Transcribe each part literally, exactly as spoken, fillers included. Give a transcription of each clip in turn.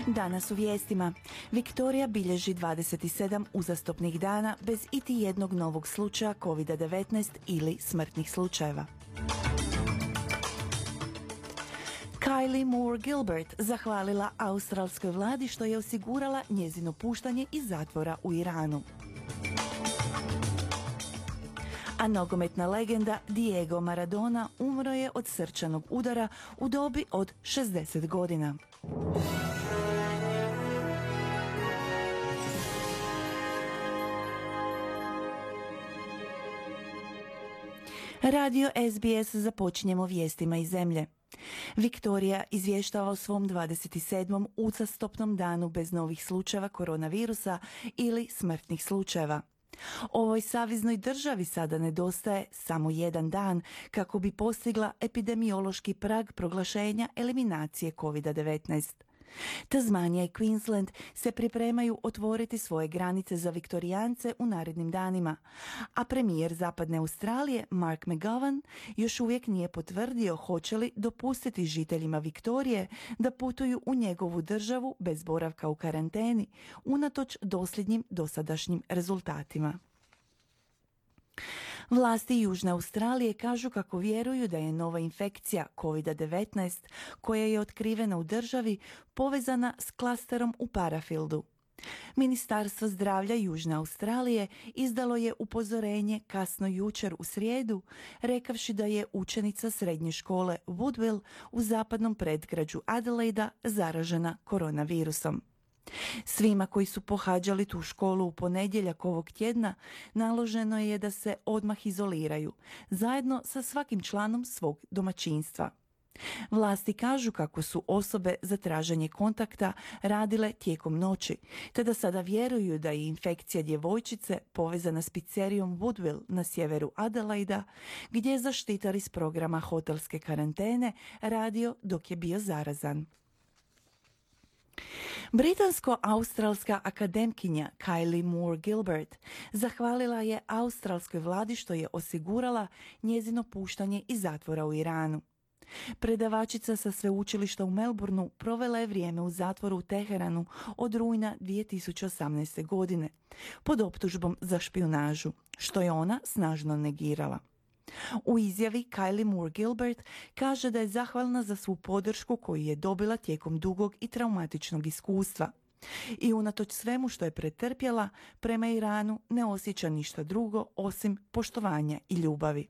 Danas u vijestima. Viktorija bilježi dvadeset sedam uzastopnih dana bez iti jednog novog slučaja kovid devetnaest ili smrtnih slučajeva. Kylie Moore Gilbert zahvalila australskoj vladi što je osigurala njezino puštanje iz zatvora u Iranu. A nogometna legenda Diego Maradona umro je od srčanog udara u dobi od šezdeset godina. Radio S B S započinjemo vijestima iz zemlje. Viktorija izvještava o svom dvadeset sedmom uzastopnom danu bez novih slučajeva koronavirusa ili smrtnih slučajeva. Ovoj saveznoj državi sada nedostaje samo jedan dan kako bi postigla epidemiološki prag proglašenja eliminacije kovid devetnaest. Tasmanija i Queensland se pripremaju otvoriti svoje granice za viktorijance u narednim danima, a premijer Zapadne Australije Mark McGowan još uvijek nije potvrdio hoće li dopustiti žiteljima Viktorije da putuju u njegovu državu bez boravka u karanteni, unatoč dosljednjim dosadašnjim rezultatima. Vlasti Južne Australije kažu kako vjeruju da je nova infekcija kovid devetnaest koja je otkrivena u državi povezana s klasterom u Parafieldu. Ministarstvo zdravlja Južne Australije izdalo je upozorenje kasno jučer u srijedu, rekavši da je učenica srednje škole Woodville u zapadnom predgrađu Adelaida zaražena koronavirusom. Svima koji su pohađali tu školu u ponedjeljak ovog tjedna naloženo je da se odmah izoliraju, zajedno sa svakim članom svog domaćinstva. Vlasti kažu kako su osobe za traženje kontakta radile tijekom noći, te da sada vjeruju da je infekcija djevojčice povezana s pizzerijom Woodville na sjeveru Adelaida, gdje je zaštitar iz programa hotelske karantene radio dok je bio zarazan. Britansko-australska akademkinja Kylie Moore Gilbert zahvalila je australskoj vladi što je osigurala njezino puštanje iz zatvora u Iranu. Predavačica sa sveučilišta u Melbourneu provela je vrijeme u zatvoru u Teheranu od rujna dvije tisuće osamnaeste. godine pod optužbom za špijunažu, što je ona snažno negirala. U izjavi Kylie Moore Gilbert kaže da je zahvalna za svu podršku koju je dobila tijekom dugog i traumatičnog iskustva. I unatoč svemu što je pretrpjela, prema Iranu ne osjeća ništa drugo osim poštovanja i ljubavi.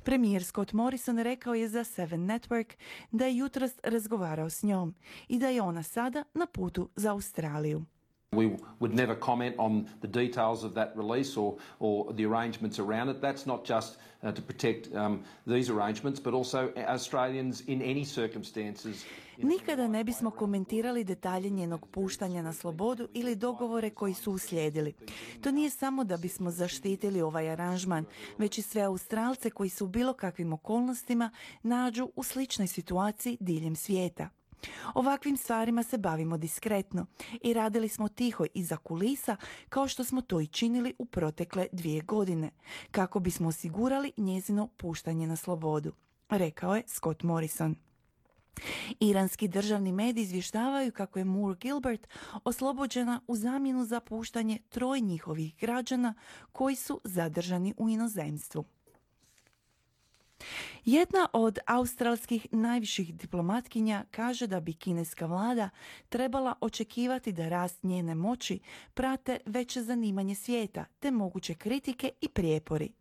Premijer Scott Morrison rekao je za Seven Network da je jutros razgovarao s njom i da je ona sada na putu za Australiju. We would never comment on the details of that release or, or the arrangements around it. That's not just uh, to protect um, these arrangements, but also Australians in any circumstances. Nikada ne bismo komentirali detalje njenog puštanja na slobodu ili dogovore koji su uslijedili. To nije samo da bismo zaštitili ovaj aranžman, već i sve Australce koji su u bilo kakvim okolnostima nađu u sličnoj situaciji diljem svijeta. Ovakvim stvarima se bavimo diskretno i radili smo tiho iza kulisa kao što smo to i činili u protekle dvije godine, kako bismo osigurali njezino puštanje na slobodu, rekao je Scott Morrison. Iranski državni mediji izvještavaju kako je Moore Gilbert oslobođena u zamjenu za puštanje troje njihovih građana koji su zadržani u inozemstvu. Jedna od australskih najviših diplomatkinja kaže da bi kineska vlada trebala očekivati da rast njene moći prate veće zanimanje svijeta te moguće kritike i prijepori.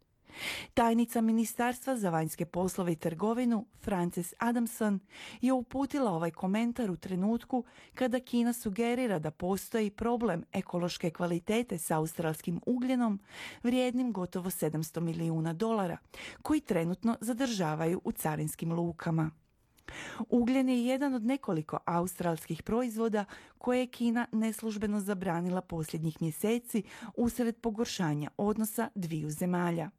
Tajnica Ministarstva za vanjske poslove i trgovinu Frances Adamson je uputila ovaj komentar u trenutku kada Kina sugerira da postoji problem ekološke kvalitete s australskim ugljenom vrijednim gotovo sedamsto milijuna dolara koji trenutno zadržavaju u carinskim lukama. Ugljen je jedan od nekoliko australskih proizvoda koje je Kina neslužbeno zabranila posljednjih mjeseci usred pogoršanja odnosa dviju zemalja.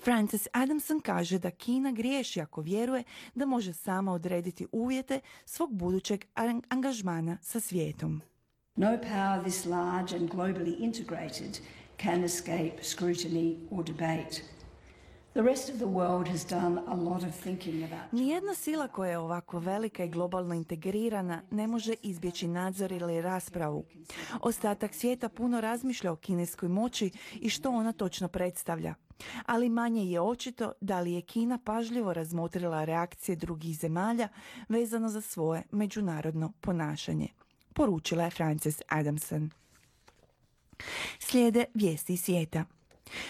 Frances Adamson kaže da Kina griješi ako vjeruje da može sama odrediti uvjete svog budućeg angažmana sa svijetom. No power this large and globally integrated can escape scrutiny or debate. The rest of the world has done a lot of thinking about. Nijedna sila koja je ovako velika i globalno integrirana ne može izbjeći nadzor ili raspravu. Ostatak svijeta puno razmišlja o kineskoj moći i što ona točno predstavlja. Ali manje je očito da li je Kina pažljivo razmotrila reakcije drugih zemalja vezano za svoje međunarodno ponašanje, poručila je Frances Adamson. Slijede vijesti iz svijeta.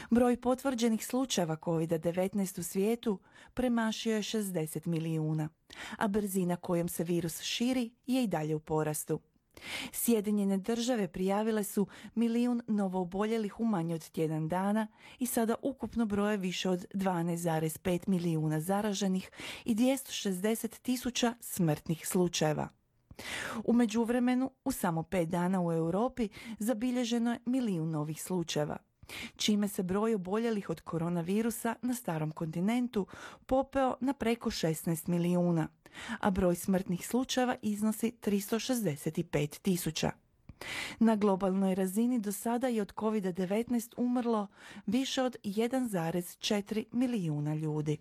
Broj potvrđenih slučajeva kovid devetnaest u svijetu premašio je šezdeset milijuna, a brzina kojom se virus širi je i dalje u porastu. Sjedinjene države prijavile su milijun novooboljelih u manje od tjedan dana i sada ukupno broje više od dvanaest zarez pet milijuna zaraženih i dvjesto šezdeset tisuća smrtnih slučajeva. U međuvremenu, u samo pet dana u Europi zabilježeno je milijun novih slučajeva, čime se broj oboljelih od koronavirusa na starom kontinentu popeo na preko šesnaest milijuna, a broj smrtnih slučajeva iznosi tristo šezdeset pet tisuća. Na globalnoj razini do sada je od kovid devetnaest umrlo više od jedan zarez četiri milijuna ljudi.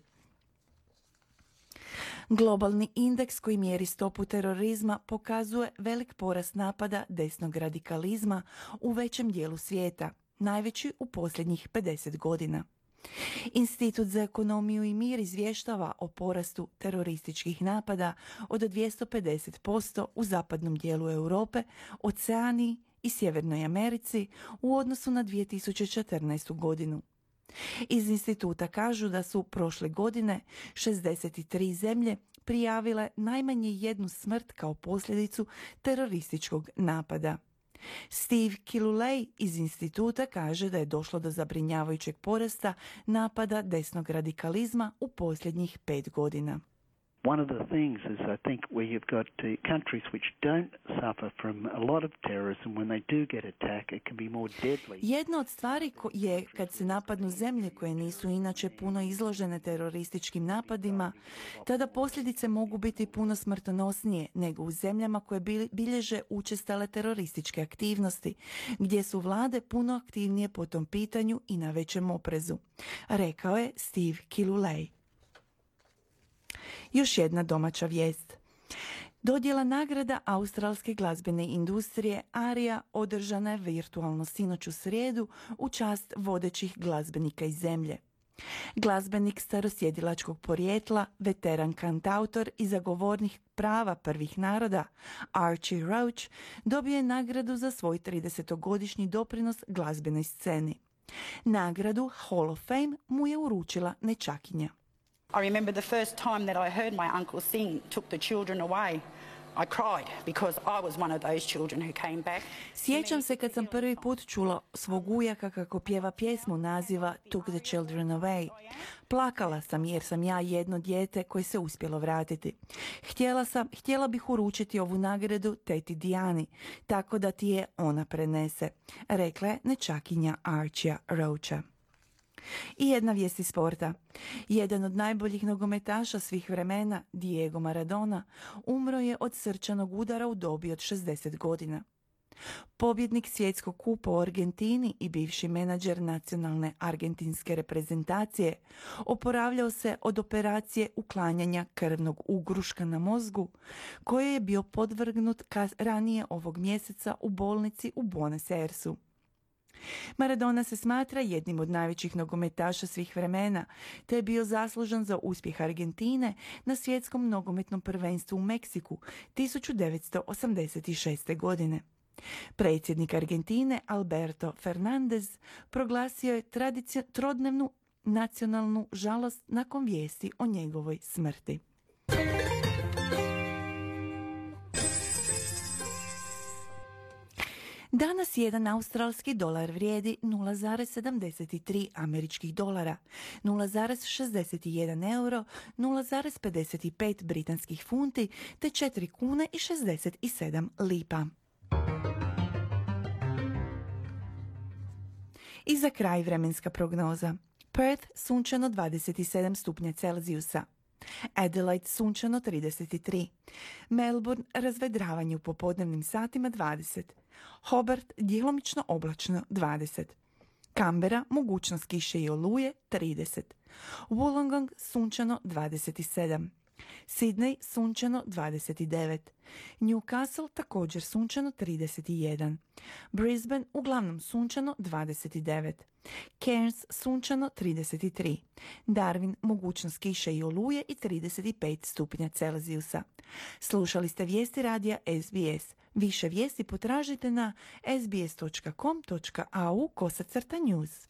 Globalni indeks koji mjeri stopu terorizma pokazuje velik porast napada desnog radikalizma u većem dijelu svijeta, najveći u posljednjih pedeset godina. Institut za ekonomiju i mir izvještava o porastu terorističkih napada od dvjesto pedeset posto u zapadnom dijelu Europe, Oceaniji i Sjevernoj Americi u odnosu na dvije tisuće četrnaestu. godinu. Iz instituta kažu da su prošle godine šezdeset tri zemlje prijavile najmanje jednu smrt kao posljedicu terorističkog napada. Steve Kilulej iz instituta kaže da je došlo do zabrinjavajućeg porasta napada desnog radikalizma u posljednjih pet godina. One of the things is I think where you've got uh, countries which don't suffer from a lot of terrorism, when they do get attacked, it can be more deadly. Jedna od stvari ko- je kad se napadnu zemlje koje nisu inače puno izložene terorističkim napadima, tada posljedice mogu biti puno smrtonosnije nego u zemljama koje bil- bilježe učestale terorističke aktivnosti, gdje su vlade puno aktivnije po tom pitanju i na većem oprezu, rekao je Steve Kilulej. Još jedna domaća vijest. Dodjela nagrada australske glazbene industrije ARIA održana je virtualno sinoć u srijedu u čast vodećih glazbenika iz zemlje. Glazbenik starosjedilačkog porijekla, veteran kantautor i zagovornik prava prvih naroda, Archie Roach, dobio je nagradu za svoj tridesetogodišnji doprinos glazbenoj sceni. Nagradu Hall of Fame mu je uručila nećakinja. I remember the first time that I heard my uncle sing Took the Children Away. I cried because I was one of those children who came back. Sjećam se kad sam prvi put čula svog ujaka kako pjeva pjesmu naziva Took the Children Away. Plakala sam jer sam ja jedno dijete koje se uspjelo vratiti. Htjela sam, htjela bih uručiti ovu nagradu teti Dijani, tako da ti je ona prenese, rekla je nećakinja Archia Roacha. I jedna vijest iz sporta. Jedan od najboljih nogometaša svih vremena, Diego Maradona, umro je od srčanog udara u dobi od šezdeset godina. Pobjednik svjetskog kupa u Argentini i bivši menadžer nacionalne argentinske reprezentacije oporavljao se od operacije uklanjanja krvnog ugruška na mozgu, koje je bio podvrgnut ranije ovog mjeseca u bolnici u Buenos Airesu. Maradona se smatra jednim od najvećih nogometaša svih vremena, te je bio zaslužan za uspjeh Argentine na svjetskom nogometnom prvenstvu u Meksiku tisuću devetsto osamdeset šeste. godine. Predsjednik Argentine Alberto Fernandez proglasio je tradicio- trodnevnu nacionalnu žalost nakon vijesti o njegovoj smrti. Danas jedan australski dolar vrijedi nula zarez sedamdeset tri američkih dolara, nula zarez šezdeset jedan euro, nula zarez pedeset pet britanskih funti te četiri kune i šezdeset sedam lipa. I za kraj vremenska prognoza. Perth sunčano dvadeset sedam stupnja Celzijusa. Adelaide sunčano trideset tri. Melbourne razvedravanje u popodnevnim satima dvadeset. Hobart djelomično oblačno dvadeset. Canberra, mogućnost kiše i oluje, trideset. Wollongong, sunčano, dvadeset sedam. Sydney, sunčano, dvadeset devet. Newcastle, također sunčano, trideset jedan. Brisbane, uglavnom sunčano, dvadeset devet. Cairns, sunčano, trideset tri. Darwin, mogućnost kiše i oluje i trideset pet stupnja Celzijusa. Slušali ste vijesti radija S B S. Više vijesti potražite na sbs.com.au kosacrta news.